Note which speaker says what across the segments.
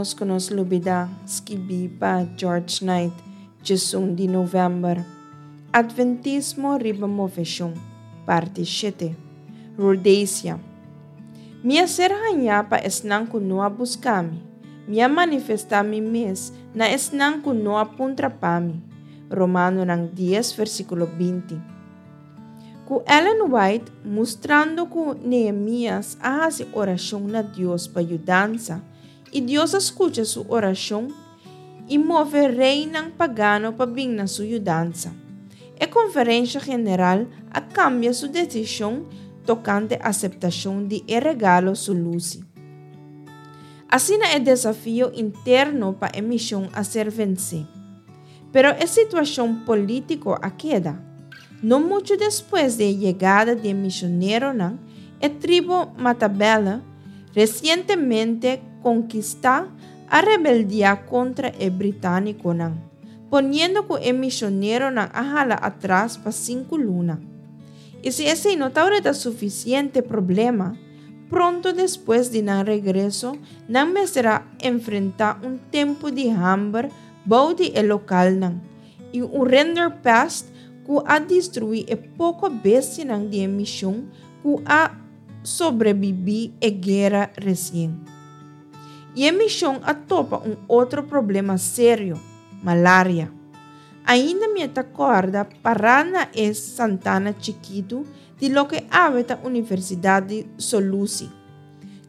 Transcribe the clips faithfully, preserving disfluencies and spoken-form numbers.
Speaker 1: Ménos ku nos lubidá, skibí pa George Knight, diesun di novèmber. Atventismo riba moveshon, parti shete. Rhodesia. Mi a ser hañá pa esnan ku no a buska mi. Mi a manifestá mi mes na esnan ku no a puntra pa mi. Romanonan dies versíkulo binti. Ku Ellen White mustrando ku Nehemias a hasi orashon na Dios pa yudansa, i Dios a skucha su orashon i move reinan pagano pa bin na su yudansa. E Konferensha General a kambia su desishon tokante aseptashon di e regalo Sulusi. Asina e desafio interno pa e mishon a ser vensé. Pero e situashon polítiko a keda. No muchu despues di e yegada di e mishoneronan, e tribu Matabele, resientemente konkistá, a rebeldiá kontra e británikonan, poniendo ku e mishoneronan a hala atras pa sinku luna. I si esei no tabata sufisiente problema, pronto despues di nan regreso, nan mester a enfrentá un tempu di hamber bou di e lokalnan i un rinderpest ku a destruí e poko bestianan di e mishon ku a sobrebibí e guera resien. I e mishon a topa un otro problema serio, malaria. Ainda mi ta kòrda pará na e santana chikitu di loke awe ta Universidat di Solusi.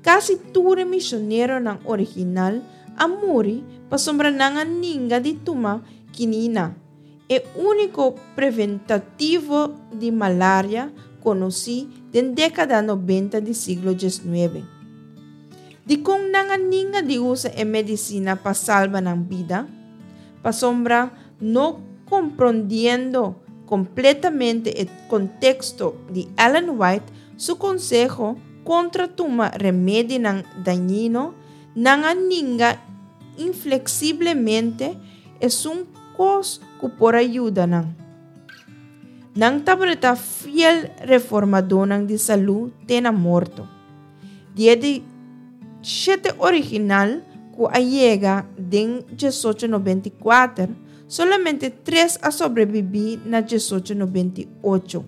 Speaker 1: Kasi tur e mishoneronan original a muri pasobra nan a ninga di tuma kinina, e úniko preventativo di malaria konosí den dékada nobenta di siglo diesnuebe. Dikon nan a ninga di usa e medisina pa salba nan bida? Pasobra, no komprondiendo kompletamente e konteksto di Ellen White su konseho kontra tuma remedinan dañino, nan a ninga infleksiblemente esun kos ku por a yuda nan. Nan tabata fiel reformadónan di salú te na morto. Di e di shete original ku a yega den diesocho nobenta i kuater, solamente tres a sobrebibí na diesocho nobenta i ocho,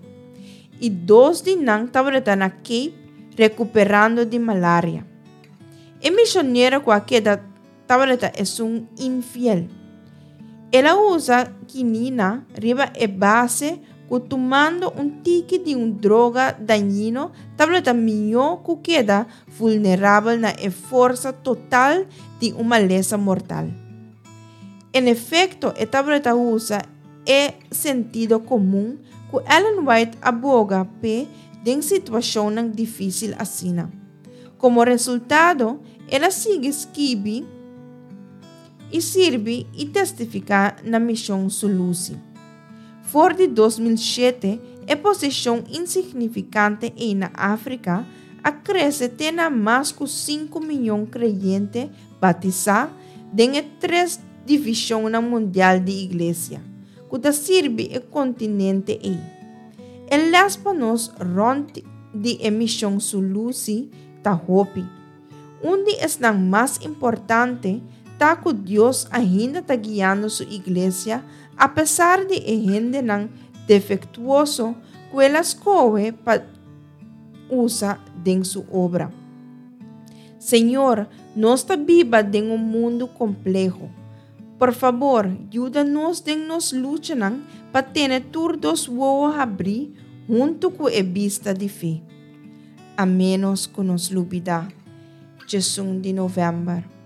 Speaker 1: i dos di nan tabata na Cape rekuperando di malaria. E misionero ku a keda tabata esun infiel. El a usa kinina riba e base ku tumando un tiki di un droga dañino tabata mihó ku keda vulnerabel na e forsa total di un malesa mortal. En efekto, e tabata usa e sentido komun ku Ellen White a boga p'e den situashonnan difísil asina. Komo resultado, el a sigui skibi i sirbi i testifiká na Mishon Sulusi. For di dos mil shete, e posishon insignifikante ei na Afrika a krese te na mas ku sinku miyon kreyente batisá den e tres divishonnan mundial di Iglesia, ku ta sirbi e kontinente ei. E lès pa nos rònt di e Mishon Sulusi ta hopi. Un di esnan mas importante ta ku Dios ainda ta guiando su iglesia apesar di e hendenan defektuoso ku el a skohe pa usa den su obra. Señor, nos ta biba den un mundu kompleho. Por fabor, yuda nos den nos luchanan pa tene tur dos wowo habrí huntu ku e bista di fe. A ménos ku nos lubidá. Djesun di novèmber.